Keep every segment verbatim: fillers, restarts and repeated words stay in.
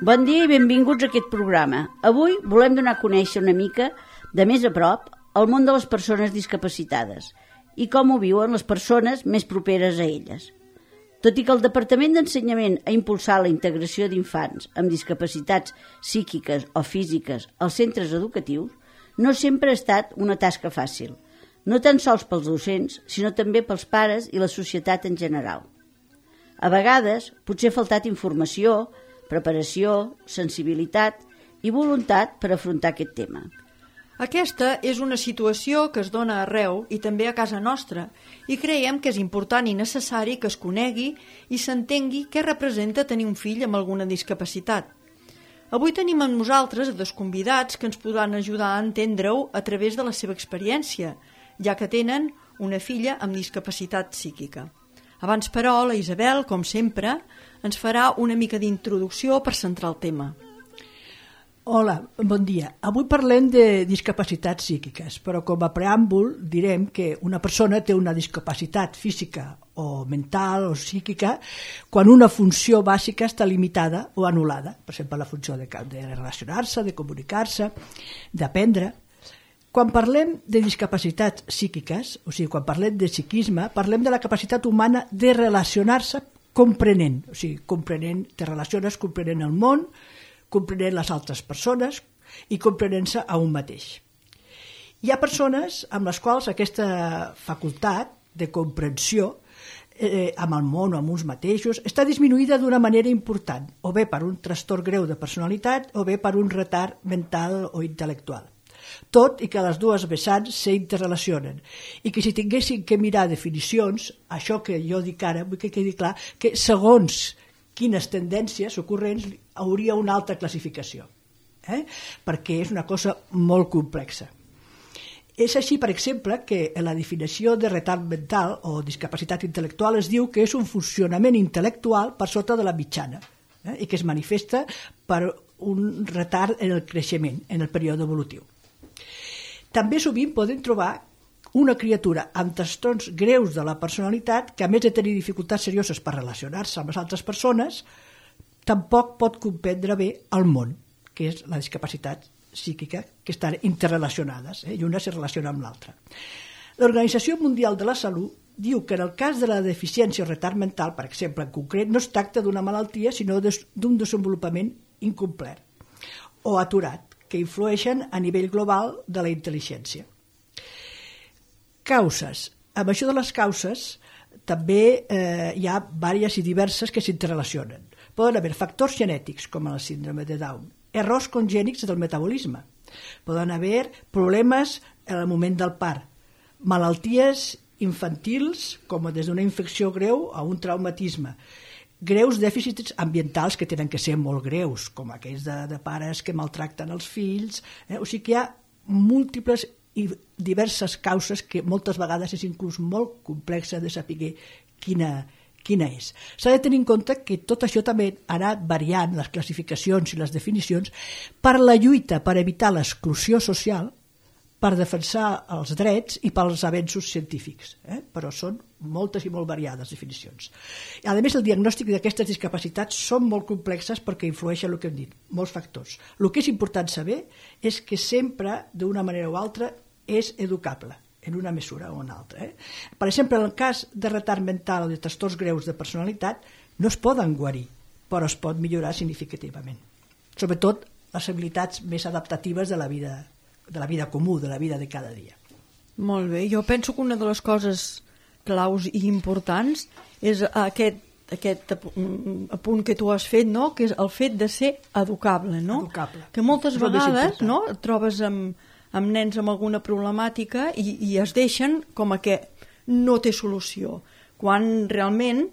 Bon dia i benvinguts a aquest programa. Avui volem donar a conèixer una mica, de més a prop, el món de les persones discapacitades i com ho viuen les persones més properes a elles. Tot i que el Departament d'Ensenyament ha impulsat la integració d'infants amb discapacitats psíquiques o físiques als centres educatius, no sempre ha estat una tasca fàcil, no tan sols pels docents, sinó també pels pares i la societat en general. A vegades, potser ha faltat informació, preparació, sensibilitat i voluntat per afrontar aquest tema. Aquesta és una situació que es dona arreu i també a casa nostra i creiem que és important i necessari que es conegui i s'entengui què representa tenir un fill amb alguna discapacitat. Avui tenim amb nosaltres dos convidats que ens podran ajudar a entendre-ho a través de la seva experiència, ja que tenen una filla amb discapacitat psíquica. Abans, però, la Isabel, com sempre, ens farà una mica d'introducció per centrar el tema. Hola, bon dia. Avui parlem de discapacitats psíquiques, però com a preàmbul direm que una persona té una discapacitat física o mental o psíquica quan una funció bàsica està limitada o anul·lada. Per exemple, la funció de, de relacionar-se, de comunicar-se, d'aprendre. Quan parlem de discapacitats psíquiques, o sigui, quan parlem de psiquisme, parlem de la capacitat humana de relacionar-se comprenent, o sigui, comprenent, te relaciones comprenent el món, comprenent les altres persones i comprenent-se a un mateix. Hi ha persones amb les quals aquesta facultat de comprensió eh, amb el món o amb uns mateixos està disminuïda d'una manera important, o bé per un trastorn greu de personalitat o bé per un retard mental o intel·lectual. Tot i que les dues vessants s'interrelacionen i que si tinguessin que mirar definicions, això que jo dic ara, vull que quedi clar que segons quines tendències ocorrents hauria una altra classificació, eh? perquè és una cosa molt complexa. És així, per exemple, que en la definició de retard mental o discapacitat intel·lectual es diu que és un funcionament intel·lectual per sota de la mitjana eh? i que es manifesta per un retard en el creixement, en el període evolutiu. També sovint podem trobar una criatura amb trastorns greus de la personalitat que, a més de tenir dificultats serioses per relacionar-se amb les altres persones, tampoc pot comprendre bé el món, que és la discapacitat psíquica, que estan interrelacionades, eh? i una se relaciona amb l'altra. L'Organització Mundial de la Salut diu que en el cas de la deficiència o retard mental, per exemple, en concret, no es tracta d'una malaltia, sinó d'un desenvolupament incomplet o aturat, que influeixen a nivell global de la intel·ligència. Causes. Amb això de les causes també eh, hi ha diverses i diverses que s'interrelacionen. Poden haver factors genètics, com la síndrome de Down, errors congènics del metabolisme, poden haver problemes en el moment del part, malalties infantils, com des d'una infecció greu a un traumatisme, greus dèficits ambientals que tenen que ser molt greus, com aquells de, de pares que maltracten els fills. Eh? O sigui que hi ha múltiples i diverses causes que moltes vegades és inclús molt complexa de saber quina, quina és. S'ha de tenir en compte que tot això també ha anat variant, les classificacions i les definicions, per la lluita per evitar l'exclusió social, per defensar els drets i pels avenços científics, eh? però són moltes i molt variades definicions. A més, el diagnòstic d'aquestes discapacitats són molt complexes perquè influeixen el que hem dit, molts factors. El que és important saber és que sempre, d'una manera o altra, és educable, en una mesura o en altra. Eh? Per exemple, en el cas de retard mental o de trastorns greus de personalitat, no es poden guarir, però es pot millorar significativament. Sobretot les habilitats més adaptatives de la vida de la vida comú, de la vida de cada dia. Molt bé, jo penso que una de les coses claus i importants és aquest, aquest apunt que tu has fet, no? Que és el fet de ser educable, no? Educable. Que moltes vegades no? Et trobes amb, amb nens amb alguna problemàtica i, i es deixen com a que no té solució, quan realment,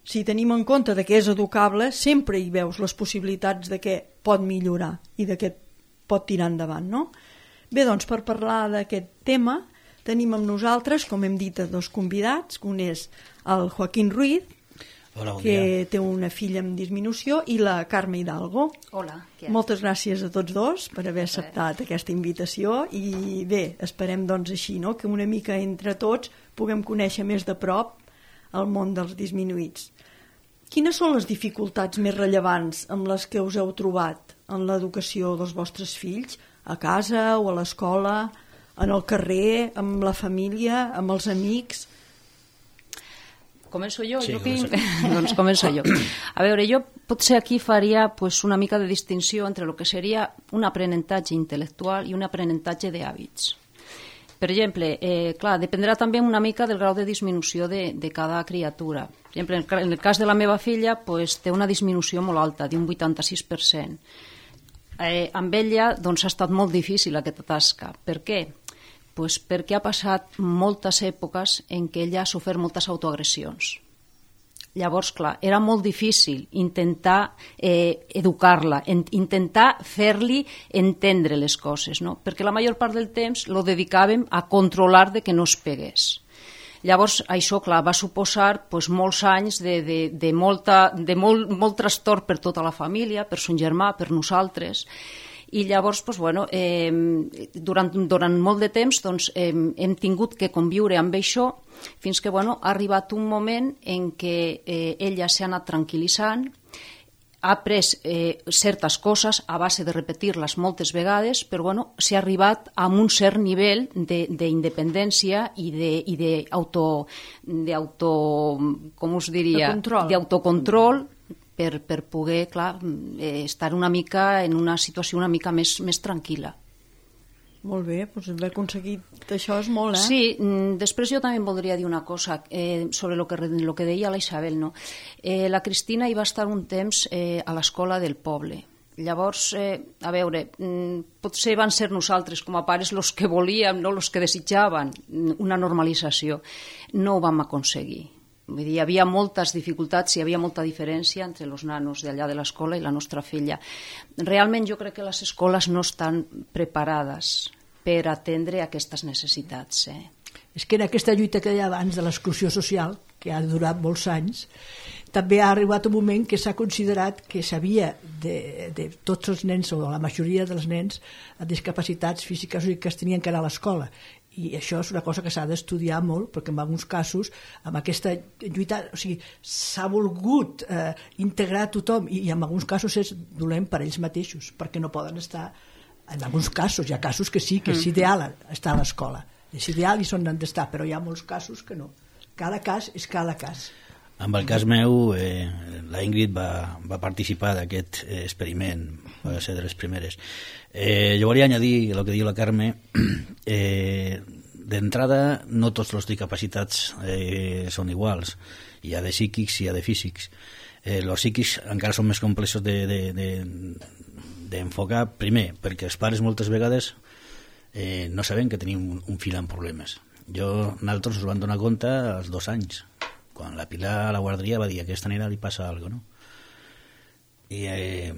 si tenim en compte de que és educable, sempre hi veus les possibilitats de que pot millorar i de que pot tirar endavant, no? Bé, doncs, per parlar d'aquest tema tenim amb nosaltres, com hem dit, dos convidats. Un és el Joaquín Ruiz, Hola, bon que dia. té una filla amb disminució, i la Carme Hidalgo. Hola. Què? Moltes gràcies a tots dos per haver acceptat aquesta invitació i bé, esperem doncs així, no? Que una mica entre tots puguem conèixer més de prop el món dels disminuïts. Quines són les dificultats més rellevants amb les que us heu trobat en l'educació dels vostres fills? A casa o a l'escola, en el carrer, amb la família, amb els amics? Començo jo? Sí, jo que... començo. Doncs començo jo. A veure, jo potser aquí faria pues, una mica de distinció entre el que seria un aprenentatge intel·lectual i un aprenentatge d'hàbits. Per exemple, eh, clar, dependrà també una mica del grau de disminució de, de cada criatura. Per exemple, en el cas de la meva filla, pues, té una disminució molt alta, d'un vuitanta-sis per cent. Eh, amb ella doncs, ha estat molt difícil aquesta tasca. Per què? Pues perquè ha passat moltes èpoques en què ella ha sofert moltes autoagressions. Llavors, clar, era molt difícil intentar eh, educar-la, en, intentar fer-li entendre les coses, no? Perquè la major part del temps lo dedicàvem a controlar de que no es pegués. Llavors, això, clar, va suposar pues, molts anys de, de, de, molta, de molt, molt trastorn per tota la família, per son germà, per nosaltres. I llavors, doncs, bueno, eh, durant, durant molt de temps doncs, eh, hem tingut que conviure amb això fins que bueno, ha arribat un moment en què eh, ella s'ha anat tranquil·litzant, ha après eh, certes coses a base de repetir-les moltes vegades, però bueno, s'ha arribat a un cert nivell d'independència i d'auto, com us diria, d'autocontrol, per, per poder, clar, eh, estar una mica en una situació una mica més, més tranquil·la. Molt bé, doncs haver aconseguit això és molt, eh? Sí, després jo també voldria dir una cosa eh, sobre el que, lo que deia la Isabel, no? Eh, la Cristina hi va estar un temps eh, a l'escola del poble. Llavors, eh, a veure, potser van ser nosaltres com a pares els que volíem, no els que desitjaven una normalització. No ho vam aconseguir. Vull dir, hi havia moltes dificultats, hi havia molta diferència entre els nanos d'allà de l'escola i la nostra filla. Realment jo crec que les escoles no estan preparades per atendre aquestes necessitats. Eh? És que en aquesta lluita que deia abans de l'exclusió social, que ha durat molts anys, també ha arribat un moment que s'ha considerat que s'havia de, de tots els nens, o la majoria dels nens amb discapacitats físiques o psíquiques tenien que anar a l'escola. I això és una cosa que s'ha d'estudiar molt, perquè en alguns casos, amb aquesta lluita, o sigui, s'ha volgut eh, integrar tothom, i, i en alguns casos és dolent per ells mateixos, perquè no poden estar, en alguns casos, hi ha casos que sí, que és ideal estar a l'escola, és ideal i són han d'estar, però hi ha molts casos que no. Cada cas és cada cas. En el cas meu, eh, la Ingrid va, va participar d'aquest eh, experiment, va ser de les primeres. Eh, jo volia añadir el que diu la Carme. Eh, d'entrada, no tots els discapacitats eh, són iguals. Hi ha de psíquics i hi ha de físics. Eh, els psíquics encara són més complexos d'enfocar, de, de, primer, perquè els pares moltes vegades eh, no saben que tenim un, un fill amb problemes. Jo, nosaltres ens vam donar compte als dos anys, quan la Pilar a la guarderia va dir que a aquesta nena li passa alguna cosa, no? I eh,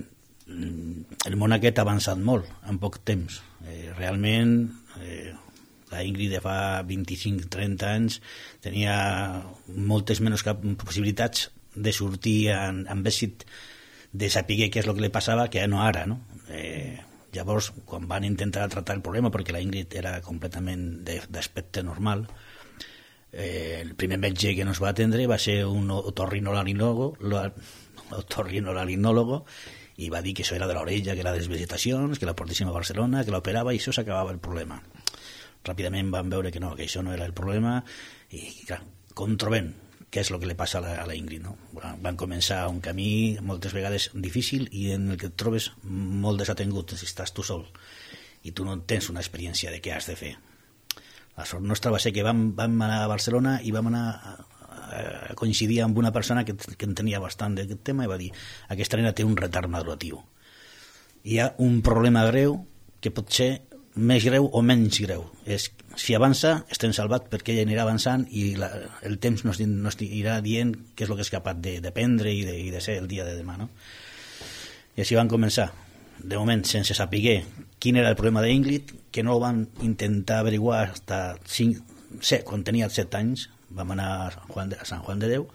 el món aquest ha avançat molt en poc temps. Eh, realment eh, la Ingrid de fa vint-i-cinc trenta anys tenia moltes menys possibilitats de sortir en, amb èxit, de saber què és el que li passava, que no ara, no? Eh, llavors, quan van intentar tractar el problema, perquè la Ingrid era completament d'aspecte normal, eh, el primer metge que nos va atendre va ser un otorrinolaringòlogo, otorrinolaringòlogo, i va dir que això era de l'orella, que era de les vegetacions, que la portéssim a Barcelona, que l'operava i això s'acabava el problema. Ràpidament van veure que no, que això no era el problema i, clar, com trobem què és el que li passa a la, a la Ingrid, no? Van començar un camí moltes vegades difícil i en el que et trobes molt desatengut si estàs tu sol i tu no tens una experiència de què has de fer. La sort nostra va ser que vam, vam anar a Barcelona i vam anar a, a coincidir amb una persona que, que entenia bastant d'aquest tema i va dir: aquesta nena té un retard maduratiu. Hi ha un problema greu que pot ser més greu o menys greu. És, si avança, estem salvat perquè ella anirà avançant i la, el temps nos, nos irà dient què és el que és capaç d'aprendre i, de, i de ser el dia de demà, no? I així van començar. De moment, sense saber quin era el problema d'Ingrid, que no ho van intentar averiguar fins quan tenia set anys, vam anar a, Juan de, a Sant Juan de Déu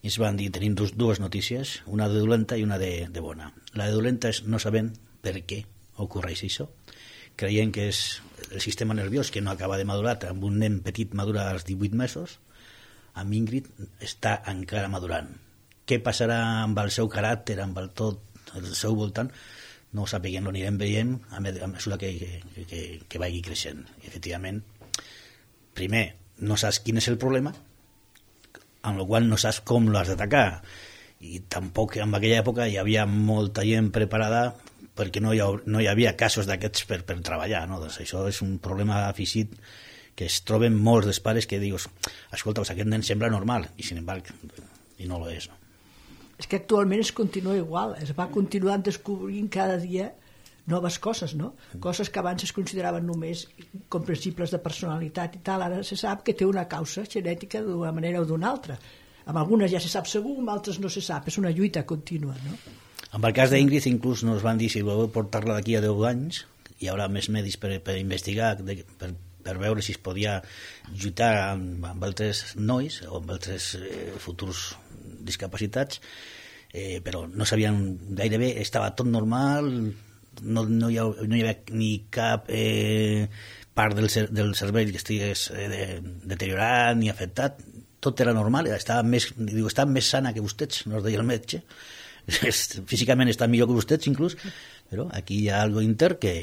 i ens van dir, tenim dos, dues notícies, una de dolenta i una de, de bona. La de dolenta és no sabem per què ocorreix això. Creiem que és el sistema nerviós que no acaba de madurar, amb un nen petit madura als divuit mesos, amb Ingrid està encara madurant què passarà amb el seu caràcter, amb el tot, el seu voltant, no ho sapiguem, ho anirem veient a mesura que, que, que, que vagi creixent. I, efectivament, primer, no saps quin és el problema, amb la qual no saps com l'has d'atacar, i tampoc en aquella època hi havia molta gent preparada perquè no hi, ha, no hi havia casos d'aquests per, per treballar, no? Doncs això és un problema afegit que es troben molts dels pares que dius, escolta, pues aquest nen sembla normal, i sin embargo, i no lo és, no? És que actualment es continua igual, es va continuant descobrint cada dia noves coses, no? Coses que abans es consideraven només comprensibles de personalitat i tal, ara se sap que té una causa genètica d'una manera o d'una altra. Amb algunes ja se sap segur, amb altres no se sap, és una lluita contínua, no? En el cas d'Ingrid inclús nos van dir si voleu portar-la d'aquí a deu anys, hi haurà més medis per, per investigar, de, per, per veure si es podia lluitar amb, amb altres nois o amb altres eh, futurs discapacitats, eh, però no sabien gairebé, estava tot normal, no, no, hi, ha, no hi havia ni cap eh, part del, cer del cervell que estigués eh, de, deteriorat ni afectat, tot era normal, estava més, diu, estava més sana que vostès, nos deia el metge, físicament està millor que vostès inclús, però aquí hi ha algo inter que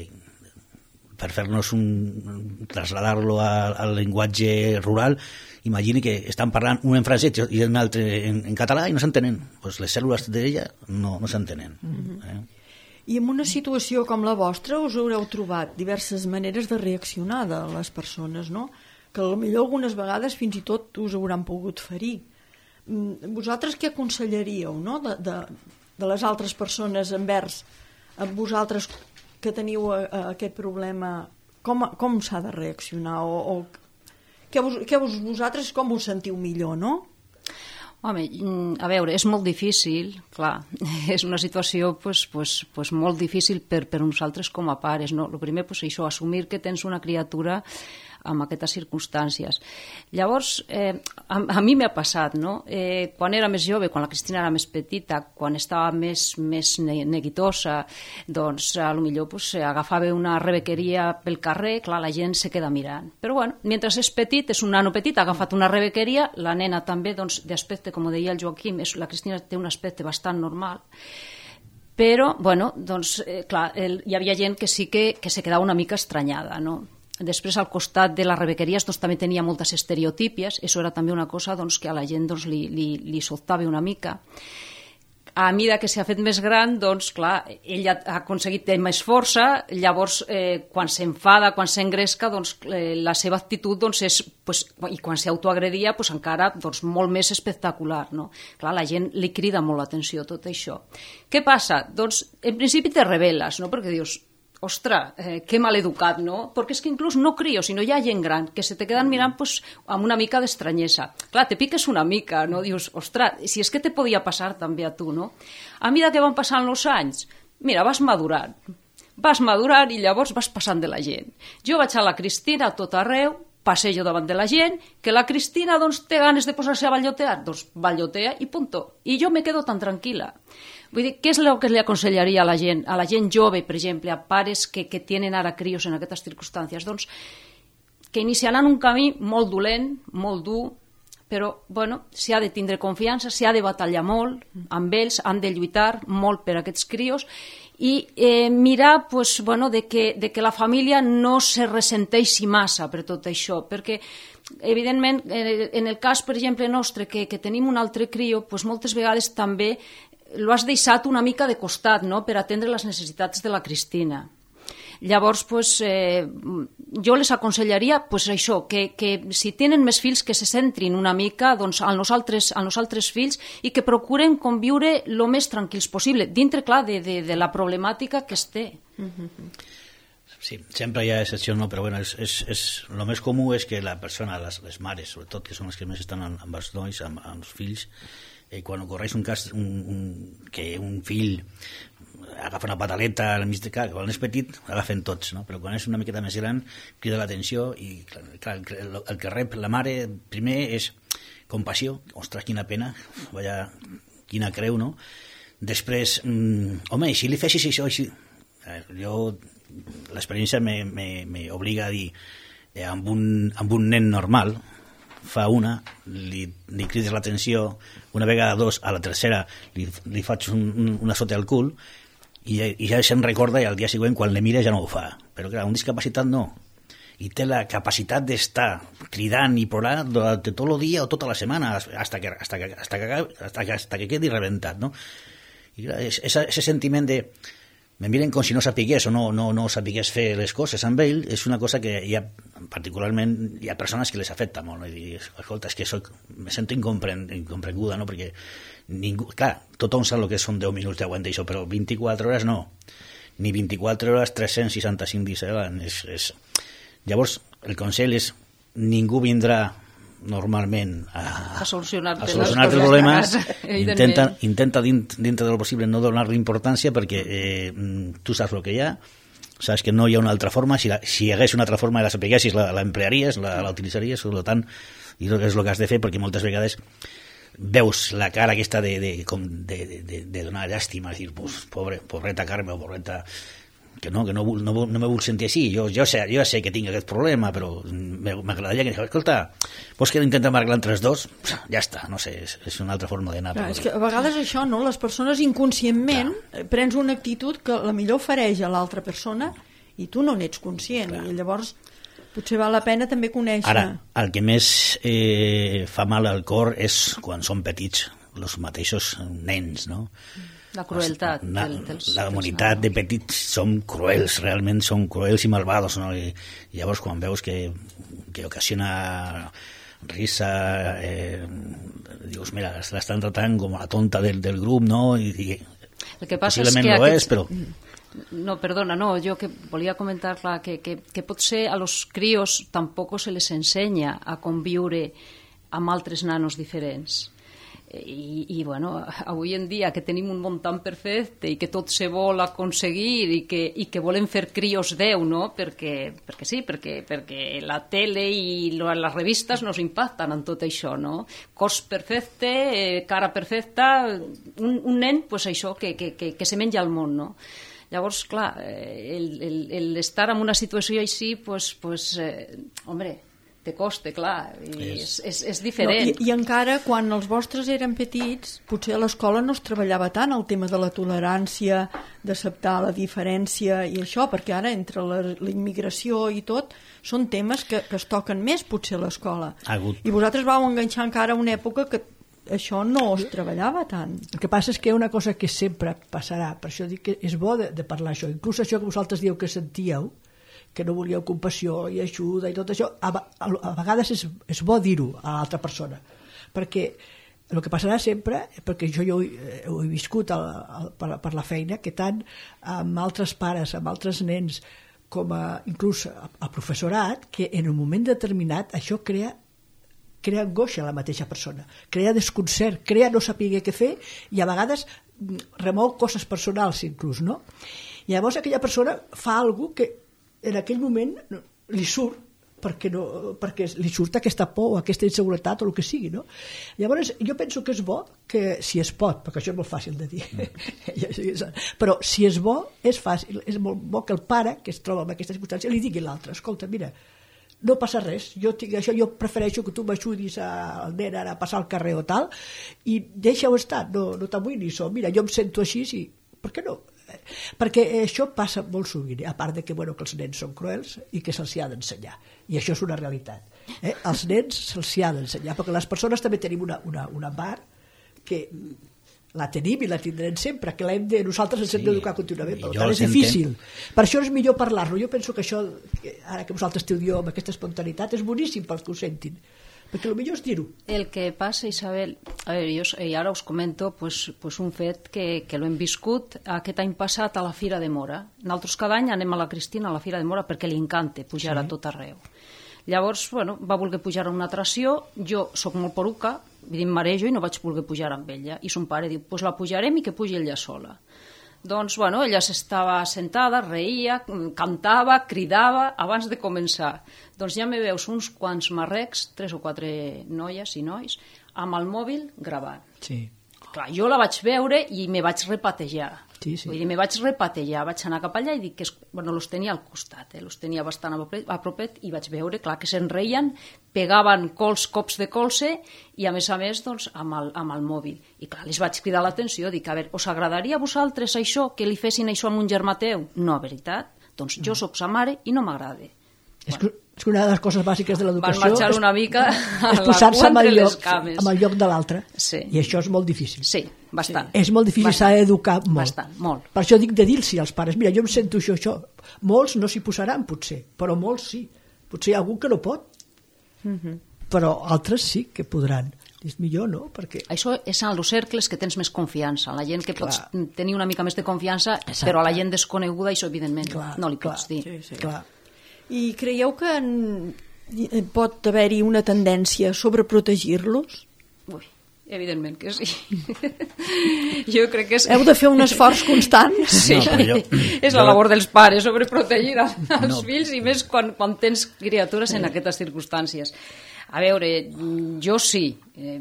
per fer-nos un trasladar-lo al llenguatge rural, imagini que estan parlant un en francès i un altre en, en català i no s'entenen, pues les cèl·lules d'ella no, no s'entenen. Mm-hmm. eh? I en una situació com la vostra us haureu trobat diverses maneres de reaccionar de les persones, no? Que potser algunes vegades fins i tot us hauran pogut ferir. Vosaltres què aconsellaríeu, no? de, de, de les altres persones envers a vosaltres que teniu a, a aquest problema, com, com s'ha de reaccionar o, o què, vos, què vos, vosaltres com us sentiu millor, no? Home, a veure, és molt difícil, clar, és una situació pues, pues, pues molt difícil per, per nosaltres com a pares, no? El primer, pues, això, assumir que tens una criatura amb aquestes circumstàncies. Llavors, eh, a, a mi m'ha passat, no? Eh, quan era més jove, quan la Cristina era més petita, quan estava més, més neguitosa, doncs, a lo millor pues, agafava una rebequeria pel carrer, clar, la gent se queda mirant. Però, bueno, mentre és petit, és un nano petit, ha agafat una rebequeria, la nena també, doncs, d'aspecte, com deia el Joaquim, és, la Cristina té un aspecte bastant normal, però, bueno, doncs, eh, clar, el, hi havia gent que sí que, que se quedava una mica estranyada, no? Després, al costat de les rebequeries, doncs, també tenia moltes estereotípies. Això era també una cosa doncs, que a la gent doncs, li, li, li sobtava una mica. A mesura que s'ha fet més gran, doncs, clar, ell ha aconseguit tenir més força, llavors, eh, quan s'enfada, quan s'engresca, doncs, eh, la seva actitud doncs, és, pues, i quan s'autoagredia, pues, encara doncs, molt més espectacular. No? Clar, la gent li crida molt l'atenció tot això. Què passa? Doncs, en principi te reveles, no? Perquè dius, ostres, eh, que mal educat, no? Perquè és que inclús no crio, sinó hi ha gent gran que se te queden mirant pues, amb una mica d'estranyesa. Clar, te piques una mica, no? Dius, ostres, si és que te podia passar també a tu, no? A mesura que van passant els anys, mira, vas madurant. Vas madurant i llavors vas passant de la gent. Jo vaig a la Cristina a tot arreu, passejo davant de la gent, que la Cristina doncs, té ganes de posar-se a ballotear, doncs ballotea i punto. I jo me quedo tan tranquil·la. Vull dir, què és el que li aconsellaria a la gent, a la gent jove, per exemple, a pares que, que tenen ara crios en aquestes circumstàncies? Doncs que iniciaran un camí molt dolent, molt dur, però, bueno, s'hi ha de tindre confiança, s'hi ha de batallar molt amb ells, han de lluitar molt per aquests crios i eh, mirar pues, bueno, de, que, de que la família no se ressenteixi massa per tot això, perquè evidentment, eh, en el cas, per exemple, nostre, que, que tenim un altre crio, pues, moltes vegades també lo has deixat una mica de costat, no?, per atendre les necessitats de la Cristina. Llavors, pues, eh, jo les aconsellaria pues, això, que, que si tenen més fills que se centrin una mica doncs, en nosaltres, en nosaltres fills i que procuren conviure el més tranquils possible, dintre, clar, de, de, de la problemàtica que es té. Sí, sempre hi ha excepcions, no? Però bueno, és, és, és, el més comú és que la persona, les, les mares, sobretot, que són les que més estan amb, amb els nois, amb, amb els fills, eh, quan ocorreix un cas un, un, que un fill agafa una pataleta al mig de cara, quan és petit agafen tots, no? Però quan és una miqueta més gran crida l'atenció i clar, el, el que rep la mare primer és compassió, ostres, quina pena, vaya, quina creu, no? Després, mm, home, si li fessis això així, eh, jo l'experiència m'obliga a dir eh, amb, un, amb un nen normal fa una, li, li crides l'atenció, una vegada dos, a la tercera li, li faig un, un, una sota al cul i, i ja se'n recorda i al dia següent quan le mira ja no ho fa. Però clar, un discapacitat no. I té la capacitat d'estar cridant i plorant durant tot el dia o tota la setmana hasta que, hasta que, hasta que, hasta que, hasta que quedi rebentat, no? I clar, ese sentiment de me miren com si no sapigués o no, no, no sapigués fer les coses amb ell, és una cosa que hi ha, particularment, hi ha persones que les afecta molt, no? I dir, escolta, és que soc, me sento incompren, incomprenguda, no? Perquè ningú, clar, tothom sap el que són deu minuts d'aguantar això, però vint-i-quatre hores no, ni vint-i-quatre hores, tres-cents seixanta-cinc dies a l'any. És, és... Llavors, el consell és, ningú vindrà normalment a, a solucionar-te a solucionar el problema. Intenta, intenta dintre del possible no donar-li importància perquè eh, tu saps el que hi ha, saps que no hi ha una altra forma, si, la, si hi hagués una altra forma i la sapiguessis, la, la emplearies, la, la utilitzaries, per tant, i és el que has de fer, perquè moltes vegades veus la cara aquesta de, de, com de, de, de, de donar llàstima, dir, pues, pobre, pobreta Carme o pobreta... que no, que no, no, no me vull sentir així, jo, jo, sé, jo sé que tinc aquest problema, però m'agradaria que digués, escolta, vols que intentem arreglar entre els dos? Ja està, no sé, és, és una altra forma d'anar. Clar, és que a vegades això, no? Les persones inconscientment Clar. prens una actitud que la millor ofereix a l'altra persona i tu no n'ets conscient, Clar. i llavors potser val la pena també conèixer. Ara, el que més eh, fa mal al cor és quan són petits, els mateixos nens, no? La crueltat. La, dels, la comunitat de petits som cruels, realment són cruels i malvados, no? I, i llavors quan veus que, que ocasiona risa, eh, dius, mira, l'estan tratant com a la tonta del, del grup, no? I, i el que passa possiblement és que no aquests... és, però... No, perdona, no, jo que volia comentar clar, que, que, que potser a los críos tampoc se les ensenya a conviure amb altres nanos diferents. I, i bueno, avui en dia que tenim un món tan perfecte i que tot se vol aconseguir i que, i que volem fer crios Déu, no? Perquè, perquè sí, perquè, perquè la tele i les revistes nos impacten en tot això, no? Cos perfecte, eh, cara perfecta, un, un nen, pues això, que, que, que, que se menja el món, no? Llavors, clar, el, el, el estar en una situació així, pues, pues eh, home, te costa, clar, i és, és, és diferent. No, i, I encara, quan els vostres eren petits, potser a l'escola no es treballava tant el tema de la tolerància, d'acceptar la diferència i això, perquè ara entre la, la immigració i tot, són temes que, que es toquen més potser a l'escola. I vosaltres vau enganxar encara una època que això no es treballava tant. El que passa és que hi ha una cosa que sempre passarà, per això dic que és bo de, de parlar això, inclús això que vosaltres dieu que sentíeu, que no volíeu compassió i ajuda i tot això, a, a, a vegades és, és bo dir-ho a l'altra persona, perquè el que passarà sempre, perquè jo, jo ho he viscut al, al, per, per la feina, que tant amb altres pares, amb altres nens, com a, inclús a, a professorat, que en un moment determinat això crea crea angoixa a la mateixa persona, crea desconcert, crea no saber què fer i a vegades remou coses personals inclús, no? I llavors aquella persona fa alguna cosa que en aquell moment li surt perquè, no, perquè li surt aquesta por o aquesta inseguretat o el que sigui, no? Llavors jo penso que és bo que si es pot, perquè això és molt fàcil de dir però si és bo és fàcil, és molt bo que el pare que es troba en aquesta circumstància li digui a l'altre, escolta, mira, no passa res, jo, tinc això, jo prefereixo que tu m'ajudis al nen ara a passar al carrer o tal i deixa-ho estar, no, no t'amoïnis, o mira, jo em sento així, sí, per què no? Perquè això passa molt sovint, a part de que, bueno, que els nens són cruels i que se'ls ha d'ensenyar, i això és una realitat, eh? Els nens se'ls ha d'ensenyar, perquè les persones també tenim una, una, una part que la tenim i la tindrem sempre, que l'hem de, nosaltres ens hem d'educar contínuament, per tant és difícil, per això és millor parlar-lo. Jo penso que això, ara que vosaltres esteu amb aquesta espontaneïtat, és boníssim pels que ho sentin, perquè el millor és dir-ho. El que passa, Isabel, a veure, jo, i ara us comento pues, pues un fet que, que l'hem viscut aquest any passat a la Fira de Mora. Nosaltres cada any anem a la Cristina a la Fira de Mora perquè li encanta pujar sí. a tot arreu. Llavors, bueno, va voler pujar a una atracció, jo sóc molt poruca, vull dir, marejo i no vaig voler pujar amb ella, i son pare diu, pues la pujarem i que pugi ella sola. Doncs, bueno, ella s'estava sentada, reia, cantava, cridava abans de començar. Doncs ja me veus uns quants marrecs, tres o quatre noies i nois, amb el mòbil gravant. Sí. clar, jo la vaig veure i me vaig repatejar. Sí, sí. Vull dir, me vaig repatejar, vaig anar cap allà i dic que, es, bueno, los tenia al costat, eh? Los tenia bastant a propet, a propet i vaig veure, clar, que se'n reien, pegaven cols, cops de colze i a més a més, doncs, amb el, amb el mòbil. I clar, les vaig cridar l'atenció, dic, a veure, us agradaria a vosaltres això, que li fessin això amb un germà teu? No, veritat? Doncs jo sóc sa mare i no m'agrada. És que, és que una de les coses bàsiques de l'educació van marxar una mica a és la posar-se cua amb, entre el les lloc, cames. amb el lloc de l'altre. Sí. I això és molt difícil. Sí, bastant. És molt difícil, s'ha d'educar molt. Bastant, molt. Per això dic de dir-los als pares, mira, jo em sento això, això. Molts no s'hi posaran, potser, però molts sí. Potser hi ha algú que no pot, Uh-huh. però altres sí que podran. És millor, no? Perquè... Això és en els cercles que tens més confiança, en la gent que Clar. pots tenir una mica més de confiança, Exacte. però a la gent desconeguda això, evidentment, Clar, no li clar. pots dir. Sí, sí. Clar. I creieu que en... pot haver-hi una tendència a sobreprotegir-los? Ui, evidentment que sí. Jo crec que és... Heu de fer un esforç constant? Sí, No, però jo- és jo- la labor dels pares, sobreprotegir els No. fills i més quan, quan tens criatures en aquestes circumstàncies. A veure, jo sí, eh,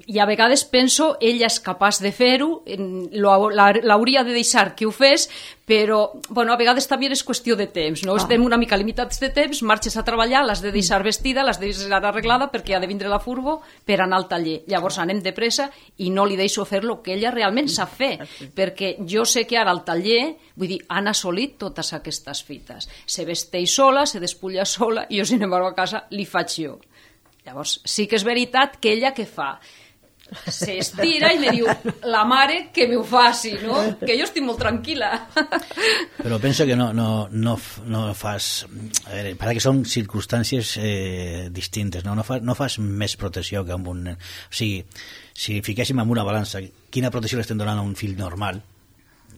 i a vegades penso ella és capaç de fer-ho, en- lo- la- l'hauria de deixar que ho fes, però bueno, a vegades també és qüestió de temps, no? Ah. Estem una mica limitats de temps, marxes a treballar, l'has de deixar vestida, l'has de deixar arreglada perquè ha de vindre la furgo per anar al taller. Llavors anem de pressa i no li deixo fer el que ella realment sap fer, perquè jo sé que ara al taller, vull dir, han assolit totes aquestes fites. Se vesteix sola, se despulla sola, i jo, sin embargo, a casa li faig jo. Llavors, sí que és veritat que ella què fa? S'estira i me diu, la mare que m'ho faci, no? Que jo estic molt tranquil·la. Però penso que no, no, no, f- no fas... A veure, para que són circumstàncies eh, distintes, no? No, fa, no fas més protecció que amb un nen. O sigui, si fiquéssim en una balança, quina protecció l'estem donant a un fill normal,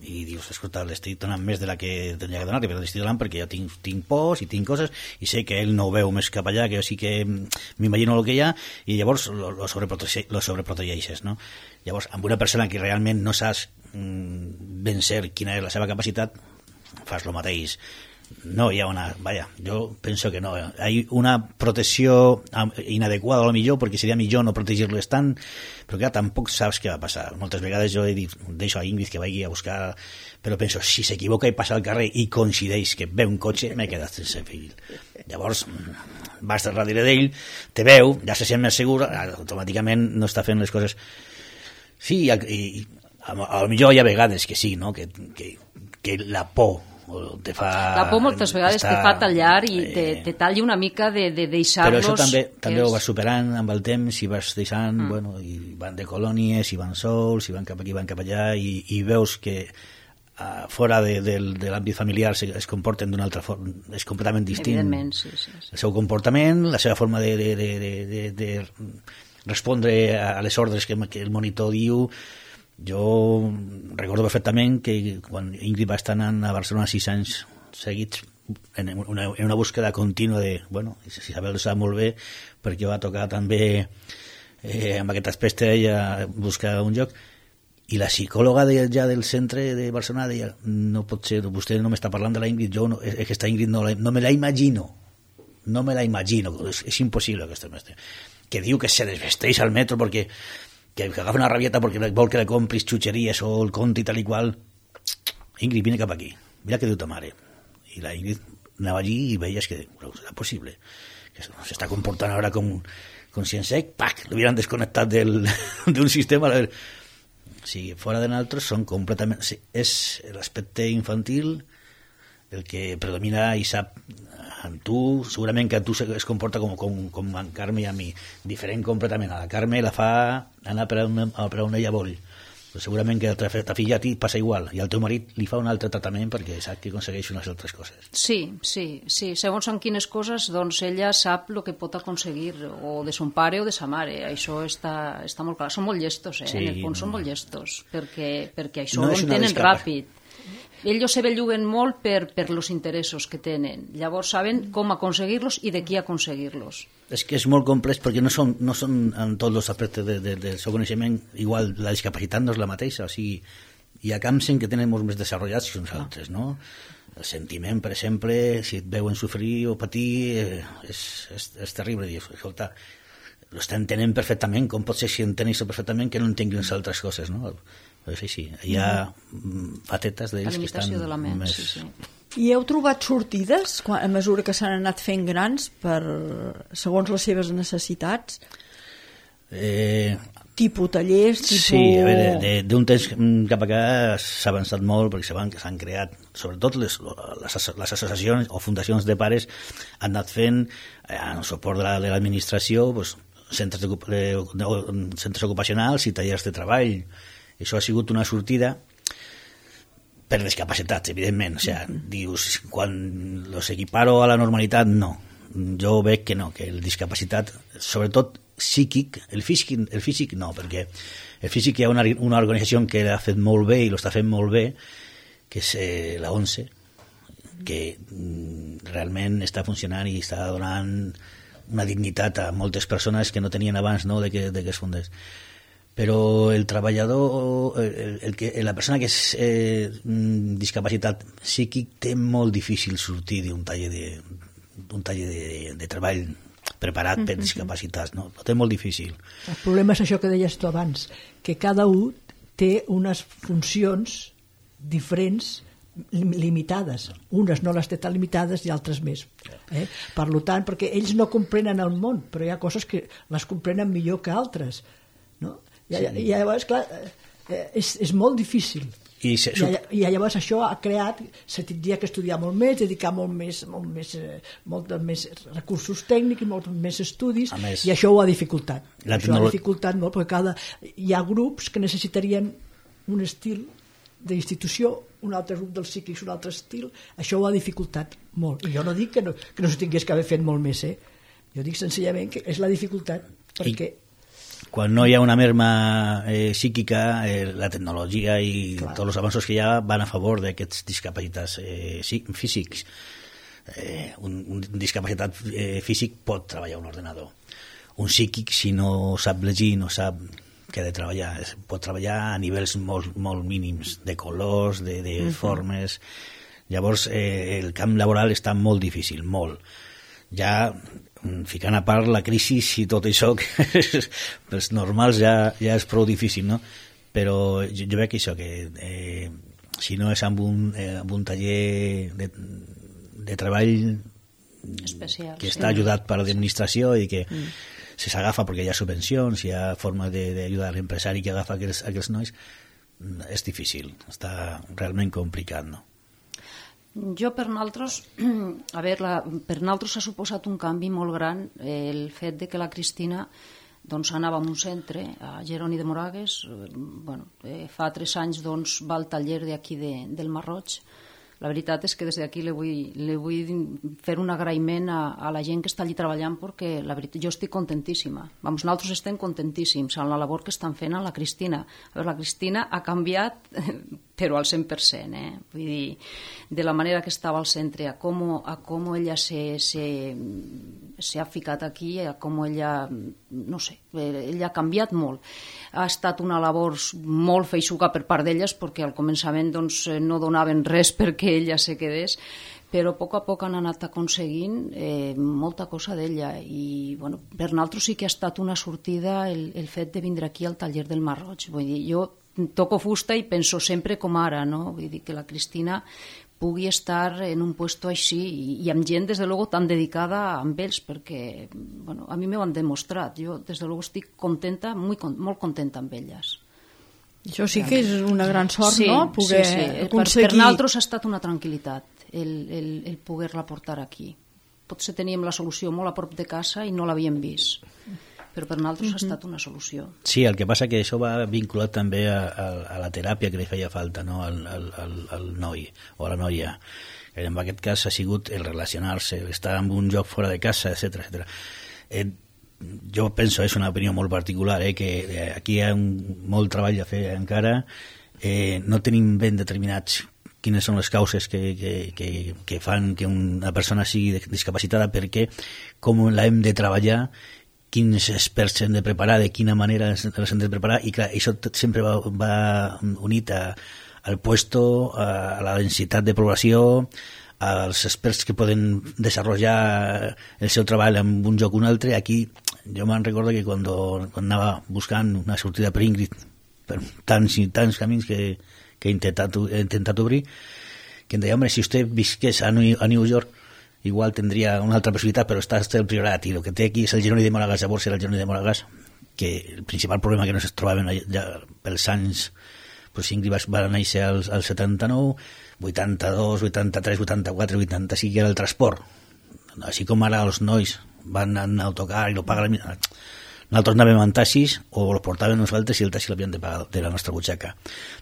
i dius, escolta, l'estic donant més de la que tenia que donar-li, però l'estic donant perquè jo tinc, tinc pors i tinc coses, i sé que ell no ho veu més cap allà, que jo sí que m'imagino el que hi ha, i llavors lo, lo, sobreprotege, lo sobreprotegeixes, no? Llavors, amb una persona que realment no saps mm, ben cert quina és la seva capacitat, fas el mateix. No hi ha una... Vaja, jo penso que no. Hi ha una protecció inadequada, a lo millor, perquè seria millor no protegir-les tant, però que tampoc saps què va passar. Moltes vegades jo he dit, deixo a Ingrid que vagi a buscar, però penso, si s'equivoca i passa al carrer i coincideix que ve un cotxe, m'he quedat sense fill. Llavors, vas darrere d'ell, te veu, ja se sent més segur, automàticament no està fent les coses... Sí, i, i a, a lo millor hi ha vegades que sí, no? que, que, que la por te fa... La por moltes vegades estar, te fa tallar i eh, te, te talla una mica de, de deixar-los... Però això també, també és... ho vas superant amb el temps i vas deixant, Mm. bueno, i van de colònies, i van sols, i van cap aquí, van cap allà, i, i veus que uh, fora de, de, de l'àmbit familiar es, es comporten d'una altra forma, és completament distint. Evidentment, sí, sí, sí. El seu comportament, la seva forma de, de, de, de, de, de respondre a les ordres que, que el monitor diu. Jo recordo perfectament que quan Ingrid va estar anant a Barcelona sis anys seguits en una, en una búsqueda contínua de, bueno, si Isabel ho sap molt bé, perquè va tocar també eh, amb aquest aspecte ella buscar un lloc, i la psicòloga de, ja del centre de Barcelona deia, no pot ser, vostè no m'està parlant de la Ingrid, jo no, és que aquesta Ingrid no, la, no me la imagino, no me la imagino, és, és impossible aquesta mestre, que diu que se desvesteix al metro perquè que agafa una rabieta perquè vol que le compris xutxeries o el conte i tal i qual. Ingrid, vine cap aquí, mira què diu ta mare. I la Ingrid anava allí i veies que però serà possible que s'està comportant ara com, com si en sec, pac, l'hubieran desconnectat del, d'un sistema. Sí, fora de nosaltres són completament... Sí, és l'aspecte infantil el que predomina i sap en tu, segurament que a tu es comporta com, com, com en Carme i a mi, diferent completament. A la Carme la fa anar per on, per on ella vol, però segurament que a ta filla a ti passa igual, i al teu marit li fa un altre tractament perquè sap que aconsegueix unes altres coses. Sí, sí, sí. Segons en quines coses, doncs ella sap el que pot aconseguir, o de son pare o de sa mare. Això està, està molt clar. Són molt llestos, eh? Sí, en el fons no. són molt llestos, perquè, perquè això No no és ho una entenen escapa. ràpid. Ells se belluguen molt per, per los interessos que tenen. Llavors saben com aconseguir-los i de qui aconseguir-los. És que és molt complex perquè no són, no són en tots els aspectes de, de, del seu coneixement igual, la discapacitat no és la mateixa, o sigui, hi ha camps en què tenen molt més desenvolupats que uns altres, no? El sentiment, per exemple, si et veuen sofrir o patir, eh, és, és, és terrible dir, escolta, entenent perfectament, com pot ser si entenen això perfectament que no entenguin les altres coses, no? Però sí, sí, hi ha facetes d'ells que estan de la ment, més... sí, sí. I heu trobat sortides quan, a mesura que s'han anat fent grans per, segons les seves necessitats? Eh, tipus tallers, tipus... Sí, a veure, d'un temps cap acá s'ha avançat molt perquè s'han creat, sobretot les, les, les associacions o fundacions de pares han anat fent, eh, en suport de l'administració, la, pues, centres, de, de, centres ocupacionals i tallers de treball. Això ha sigut una sortida per discapacitats, evidentment. O sigui, dius, quan los equiparo a la normalitat, no. Jo veig que no, que el discapacitat, sobretot psíquic, el físic, el físic no, perquè el físic hi ha una, una organització que l'ha fet molt bé i l'està fent molt bé, que és eh, la ONCE, que mm, realment està funcionant i està donant una dignitat a moltes persones que no tenien abans, no, de que, de que es fundés. Però el treballador, el, el que, la persona que és eh, discapacitat psíquic té molt difícil sortir d'un taller de, d'un taller de, de treball preparat per discapacitats, no? Ho té molt difícil. El problema és això que deies tu abans, que cada un té unes funcions diferents limitades. Unes no les té tan limitades i altres més. Eh? Per tant, perquè ells no comprenen el món, però hi ha coses que les comprenen millor que altres, no? I, sí. I llavors, clar, és, és molt difícil. I, se, I, I llavors això ha creat, se tindria que estudiar molt més, dedicar molt més, molt més, molt més recursos tècnics, molt més estudis, més, i això ho ha dificultat. Això tecnolo... ha dificultat molt, perquè cada, hi ha grups que necessitarien un estil d'institució, un altre grup dels psíquics, un altre estil, això ho ha dificultat molt. I jo no dic que no, que no s'ho tingués que haver fet molt més, eh? Jo dic senzillament que és la dificultat, perquè... I... Quan no hi ha una merma eh, psíquica, eh, la tecnologia i Clar. Tots els avanços que hi ha van a favor d'aquests discapacitats eh, físics. Eh, un, un discapacitat eh, físic pot treballar un ordenador. Un psíquic, si no sap llegir, no sap què ha de treballar. Pot treballar a nivells molt, molt mínims, de colors, de, de uh-huh. formes. Llavors, eh, el camp laboral està molt difícil, molt. Ja... ficant a part la crisi i tot això que pels normals ja, ja és prou difícil, no? Però jo, jo veig que això que eh, si no és amb un, eh, amb un taller de, de treball especial, que està sí. ajudat per l'administració i que mm. se s'agafa perquè hi ha subvencions, hi ha forma d'ajudar l'empresari que agafa aquells, aquells nois, és difícil, està realment complicat, no? Jo per nosaltres, a veure, la, per nosaltres ha suposat un canvi molt gran eh, el fet de que la Cristina doncs, anava a un centre, a Jeroni de Moragues, eh, bueno, eh, fa tres anys doncs, va al taller d'aquí de, del Marroig. La veritat és que des d'aquí li vull, li vull fer un agraïment a, a la gent que està allí treballant perquè la veritat, jo estic contentíssima. Vamos, nosaltres estem contentíssims amb la labor que estan fent a la Cristina. A veure, la Cristina ha canviat però al cent per cent, eh? Vull dir, de la manera que estava al centre, a com, a com ella se, se, se ha ficat aquí, a com ella, no sé, ella ha canviat molt. Ha estat una labor molt feixuga per part d'elles, perquè al començament doncs, no donaven res perquè ella se quedés, però a poc a poc han anat aconseguint eh, molta cosa d'ella i bueno, per nosaltres sí que ha estat una sortida el, el fet de vindre aquí al taller del Marroig. Vull dir, jo toco fusta i penso sempre com ara, no? Vull dir que la Cristina pugui estar en un puesto així i, i amb gent, des de luego, tan dedicada amb ells, perquè bueno, a mi m'ho han demostrat. Jo, des de luego, estic contenta, molt, molt contenta amb elles. Això sí que és una gran sort, sí, no? Poder sí, sí. aconseguir... Per, per nosaltres ha estat una tranquil·litat el, el, el poder-la portar aquí. Potser teníem la solució molt a prop de casa i no l'havíem vist, però per nosaltres uh-huh. ha estat una solució. Sí, el que passa que això va vinculat també a, a, a la teràpia que li feia falta, no? al, al, al, al noi o a la noia. En aquest cas ha sigut el relacionar-se, estar en un lloc fora de casa, etcètera, etcètera. Eh, jo penso, és una opinió molt particular, eh, que eh, aquí hi ha un, molt treball a fer encara, eh, no tenim ben determinats quines són les causes que, que, que, que fan que una persona sigui discapacitada, perquè com la hem de treballar, quins experts s'han de preparar, de quina manera els hem de preparar, i clar, això sempre va, va unit a, al puesto, a, a la densitat de població, als experts que poden desenvolupar el seu treball en un lloc o un altre. Aquí jo me'n recordo que quan, quan anava buscant una sortida per Ingrid, per tants i tants camins que, que he, intentat, he intentat obrir, que em deia, home, si vostè visqués a New, a New York, igual tindria una altra possibilitat, però està el Priorat, i el que té aquí és el Jeroni de Moragas. Llavors era el Jeroni de Moragas, que el principal problema que no es trobaven ja pels anys, pues Ingrid va, va néixer al, al setanta-nou, vuitanta-dos, vuitanta-tres, vuitanta-quatre, vuitanta-cinc, era el transport. Així com ara els nois van en autocar i lo paguen, nosaltres anàvem en taxis o els portàvem nosaltres i el taxi l'havien de pagar de la nostra butxaca.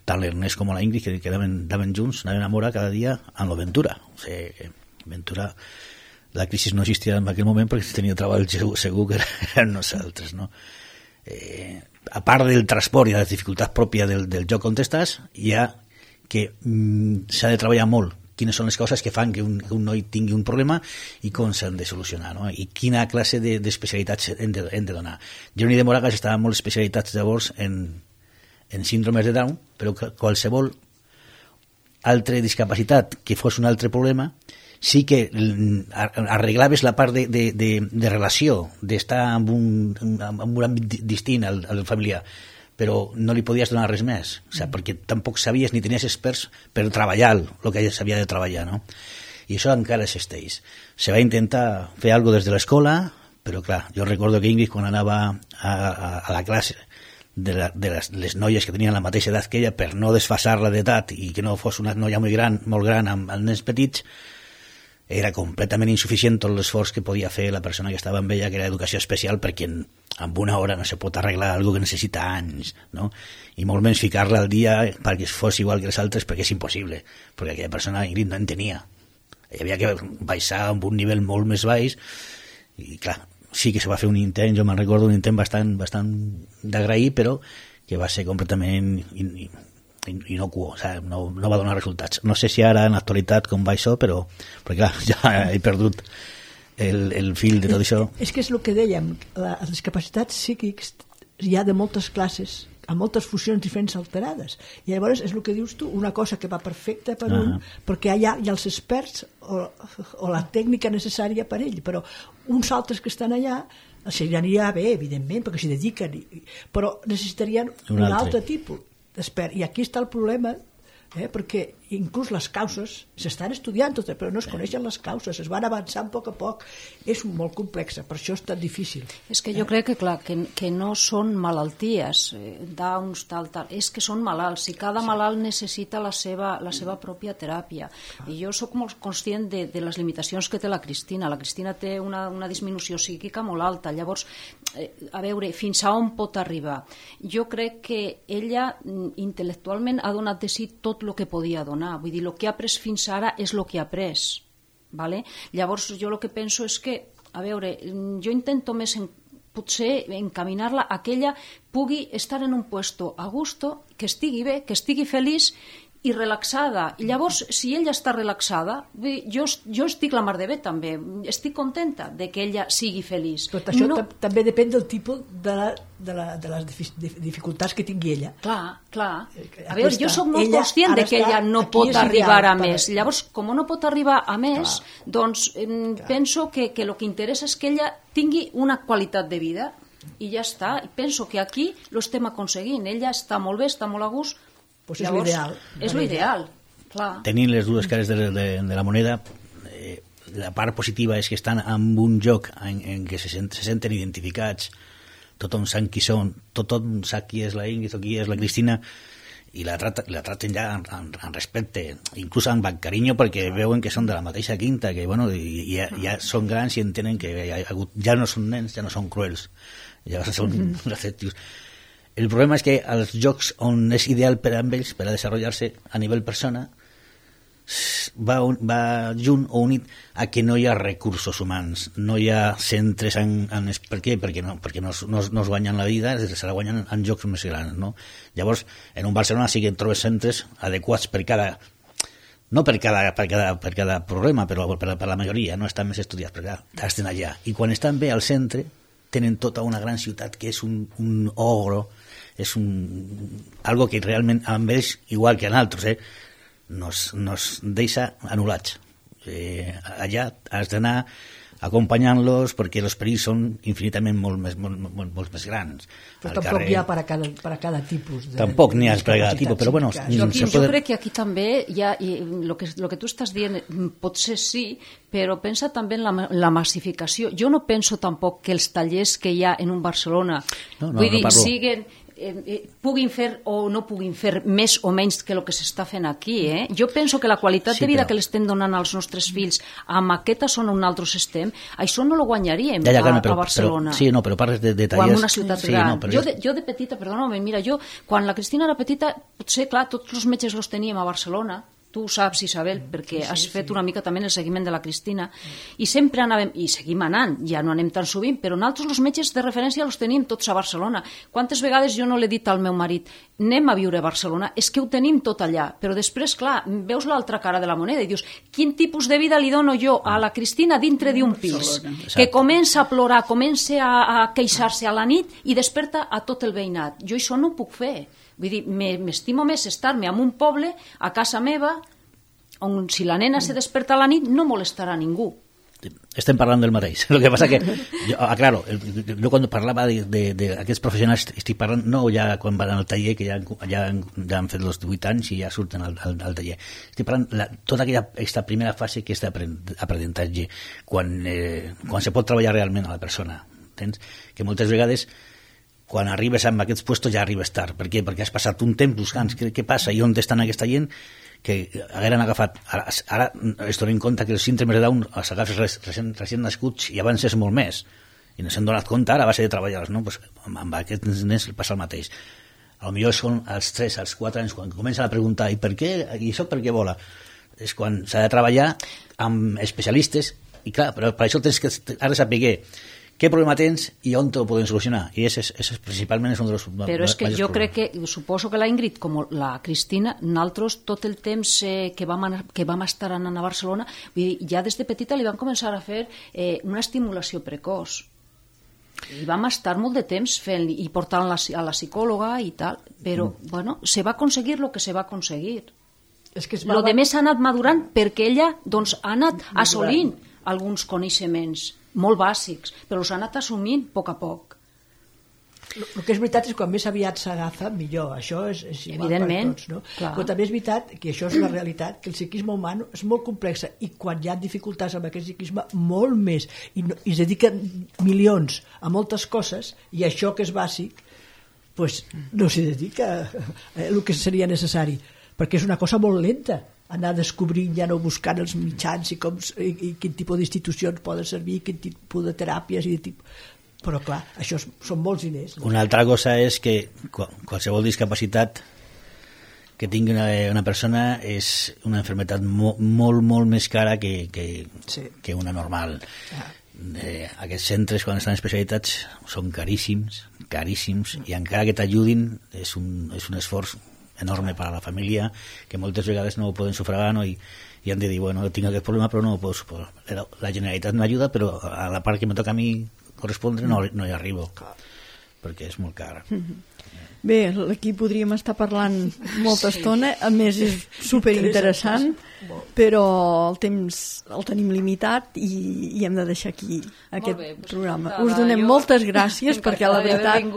Tant l'Ernest com la Ingrid, que, que anaven, anaven junts, anaven a Mora cada dia amb l'Aventura. O sigui, Ventura, la crisi no existia en aquell moment perquè tenia treball segur, segur que eren nosaltres, no? Eh, a part del transport i de les dificultats pròpies del, del lloc on estàs, hi ha que mm, s'ha de treballar molt quines són les coses que fan que un, que un noi tingui un problema i com s'han de solucionar, no? I quina classe d'especialitats de, hem, de, hem de donar. Jeroni de Moragas estava molt especialitzats llavors en, en síndromes de Down, però qualsevol altra discapacitat que fos un altre problema sí que arreglaves la part de, de, de, de relació, d'estar en un, en un àmbit distint al, al familiar, però no li podies donar res més, o sigui, perquè tampoc sabies ni tenies experts per treballar el que s'havia de treballar, no? I això encara existeix. Se va intentar fer alguna cosa des de l'escola, però clar, jo recordo que Ingrid, quan anava a, a, a la classe de, la, de les, les noies que tenien la mateixa edat que ella, per no desfasar-la d'edat i que no fos una noia molt gran, molt gran amb, amb nens petits, era completament insuficient tot l'esforç que podia fer la persona que estava amb ella, que era educació especial, perquè en, en una hora no se pot arreglar alguna que necessita anys, no? I molt menys ficar-la al dia perquè fos igual que les altres, perquè és impossible, perquè aquella persona, Ingrid, no en tenia. Hi havia que baixar a un nivell molt més baix, i clar, sí que se va fer un intent, jo me'n recordo un intent bastant, bastant d'agrair, però que va ser completament inocuo, o sigui, no, no va donar resultats. No sé si ara en l'actualitat com va això, però perquè clar, ja he perdut el, el fil de tot això. És que és el que dèiem, les discapacitats psíquics hi ha de moltes classes, amb moltes funcions diferents alterades, i llavors és el que dius tu, una cosa que va perfecta per uh-huh. un, perquè hi ha, hi ha els experts o, o la tècnica necessària per ell, però uns altres que estan allà s'aniria bé, evidentment, perquè s'hi dediquen, però necessitarien un, un altre, altre tipus d'expert, i aquí està el problema, eh, perquè inclús les causes s'estan estudiant totes, però no es coneixen les causes, es van avançant a poc a poc, és molt complexa, per això és tan difícil. És que jo crec que, clar, que, que no són malalties, eh, Downs, tal, tal, és que són malalts, i cada sí. malalt necessita la seva, la seva pròpia teràpia, i jo sóc molt conscient de, de les limitacions que té la Cristina. La Cristina té una, una disminució psíquica molt alta, llavors, eh, a veure, fins a on pot arribar? Jo crec que ella intel·lectualment ha donat de si tot el que podia donar. Vull dir, el que ha après fins ara és el que ha après. Vale? Llavors, jo el que penso és que, a veure, jo intento més en, potser encaminar-la a que ella pugui estar en un puesto a gusto, que estigui bé, que estigui feliç i relaxada. I llavors, si ella està relaxada, jo, jo estic la mar de bé també, estic contenta de que ella sigui feliç. Però això no... també depèn del tipus de, la, de, la, de les dificultats que tingui ella. Clar, clar. A veure, jo soc molt conscient de que ella no pot arribar a més. Llavors, com no pot arribar a més, clar, doncs clar. penso que, que el que interessa és que ella tingui una qualitat de vida i ja està. I penso que aquí lo estem aconseguint. Ella està molt bé, està molt a gust. Pues és l'ideal. És l'ideal, clar. Tenint les dues cares de, de, de la moneda, eh, la part positiva és que estan en un lloc en, en què se, sent, se senten identificats, tothom sap qui són, tothom sap qui és la Ingrid o qui és la Cristina, i la, trata, la traten ja en, en, en respecte, inclús amb carinyo, perquè veuen que són de la mateixa quinta, que bueno, i, ja, ja són grans i entenen que ja, ja no són nens, ja no són cruels, ja són mm-hmm. receptius. El problema és que als jocs on és ideal per a ells, per a desenvolupar-se a nivell persona, va, un, va junt o unit a que no hi ha recursos humans, no hi ha centres en... en per què? Perquè, no, perquè no, no, no es guanyen la vida, se la guanyen en jocs més grans, no? Llavors, en un Barcelona sí que trobes centres adequats per cada... no per cada, per cada, per cada problema, però per, per la majoria, no estan més estudiats, perquè estan allà. I quan estan bé al centre, tenen tota una gran ciutat que és un, un ogro, és un, algo que realment amb ells, igual que en altres, eh, nos, nos deixa anul·lats. Eh, allà has d'anar acompanyant-los, perquè els perills són infinitament molt més, molt, molt, molt més grans. Però Al tampoc carrer, hi ha per a cada, per a cada tipus de... Tampoc n'hi ha per a cada tipus, però bueno... Joaquim, se jo poden- crec que aquí també hi ha, i lo que, lo que tu estàs dient potser sí, però pensa també en la, la massificació. Jo no penso tampoc que els tallers que hi ha en un Barcelona No, no, vull no dir, parlo. siguen eh, eh, puguin fer o no puguin fer més o menys que el que s'està fent aquí. Eh? Jo penso que la qualitat Sí, de vida però- que l'estem donant als nostres fills amb aquesta zona on nosaltres estem, això no lo guanyaríem Ja, ja, a, Carme, però, a Barcelona. Però, sí, no, però parles de, de O en tallers... una ciutat sí, gran. No, però jo, de, jo de petita, perdona, mira, jo, quan la Cristina era petita, potser, clar, tots els metges los teníem a Barcelona, tu ho saps, Isabel, perquè sí, sí, has fet sí. una mica també el seguiment de la Cristina, i sempre anàvem, i seguim anant, ja no anem tan sovint, però nosaltres els metges de referència els tenim tots a Barcelona. Quantes vegades jo no l'he dit al meu marit, anem a viure a Barcelona, és que ho tenim tot allà, però després, clar, veus l'altra cara de la moneda i dius, quin tipus de vida li dono jo a la Cristina dintre d'un pis, que comença a plorar, comença a, a queixar-se a la nit i desperta a tot el veïnat. Jo això no ho puc fer. Vull dir, m'estimo més estar-me en un poble, a casa meva, on si la nena se desperta a la nit no molestarà ningú. Estem parlant del mateix. El que passa que, jo, ah, claro, jo quan parlava d'aquests professionals estic parlant, no ja quan van al taller, que ja, ja, ja han fet els divuit anys i ja surten al, al, al taller. Estic parlant la, tota aquella aquesta primera fase que és d'aprenentatge, quan, eh, quan se pot treballar realment a la persona. Entens? Que moltes vegades quan arribes amb aquests puestos ja arribes tard. Per què? Perquè has passat un temps buscant què, què passa i on estan aquesta gent que hagueren agafat. Ara, ara es donen compte que els síndromes de Down els agafes recient, recient nascuts i abans és molt més. I no s'han donat compte ara a base de treballar-los. No? Pues, amb aquests nens passa el mateix. A lo millor són als tres, als quatre anys, quan comencen a preguntar i per què, i això per què vola? És quan s'ha de treballar amb especialistes i clar, però per això tens que ara saber què problema tens i on te ho poden solucionar. I ese, ese principalment és un dels Però és que jo crec que, suposo que la Ingrid, com la Cristina, nosaltres tot el temps eh, que, vam anar, que vam estar anant a Barcelona, vull dir, ja des de petita li vam començar a fer eh, una estimulació precoç. I vam estar molt de temps fent i portant la, a la psicòloga i tal, però, mm. bueno, se va aconseguir el que se va aconseguir. És que es va... Lo de més ha anat madurant perquè ella, doncs, ha anat Madurant. assolint alguns coneixements molt bàsics, però els ha anat assumint a poc a poc. El, el que és veritat és que quan més aviat s'agafa, millor. Això és, és igual Evidentment, per tots. No? clar. Però també és veritat que això és una realitat, que el psiquisme humà és molt complex i quan hi ha dificultats amb aquest psiquisme, molt més. I, no, i es dediquen milions a moltes coses i això que és bàsic pues, no s'hi dedica eh, el que seria necessari, perquè és una cosa molt lenta anar descobrint, ja no buscant els mitjans i, com, i, i quin tipus d'institucions poden servir, quin tipus de teràpies i de tipus... Però clar, això és, són molts diners. No? Una altra cosa és que qualsevol discapacitat que tingui una, una persona és una malaltia mo, molt, molt més cara que, que, sí. que una normal. Ah. Eh, aquests centres, quan estan especialitats, són caríssims, caríssims, i encara que t'ajudin és un, és un esforç enorme per a la família, que moltes vegades no ho poden sufragar, no? I, i han de dir, bueno, tinc aquest problema però no ho puc suportar. La, la Generalitat m'ajuda, però a la part que me toca a mi correspondre no, no hi arribo, perquè és molt car. Bé, aquí podríem estar parlant molta estona, a més és superinteressant, però el temps el tenim limitat i, i hem de deixar aquí aquest bé, doncs, programa. Us donem jo... moltes gràcies perquè la veritat,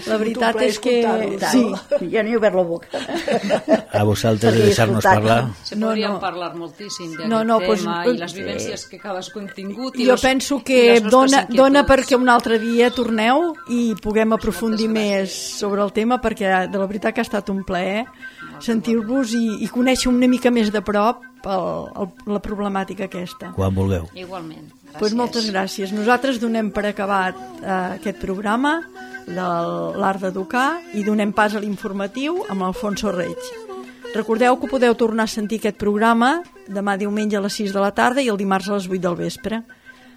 la veritat és que... Sí, ja n'hi he obert la boca. A vosaltres de deixar-nos parlar. Se podríem no, no. parlar moltíssim d'aquest no, no, tema pues, i les vivències que cadascú hem tingut. I jo los, penso que dona, dona perquè un altre dia torneu i puguem aprofundir més sobre el tema, perquè de la veritat que ha estat un plaer sentir-vos i, i conèixer una mica més de prop el, el, la problemàtica aquesta. Quan vulgueu. Igualment. Gràcies. Pues moltes gràcies. Nosaltres donem per acabat eh, aquest programa de l'art d'educar i donem pas a l'informatiu amb Alfonso Reig. Recordeu que podeu tornar a sentir aquest programa demà diumenge a les sis de la tarda i el dimarts a les vuit del vespre.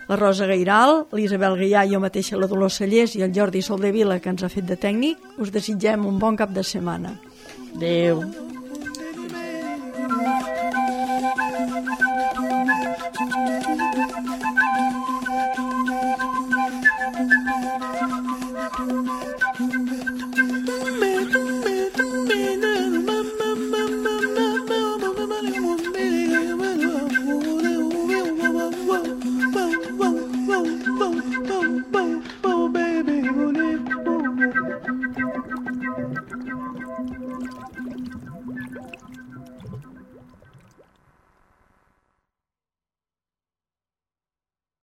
La Rosa Gairal, l'Isabel Gaià, jo mateixa, la Dolors Sallés i el Jordi Soldevila, que ens ha fet de tècnic, us desitgem un bon cap de setmana. Adéu. Me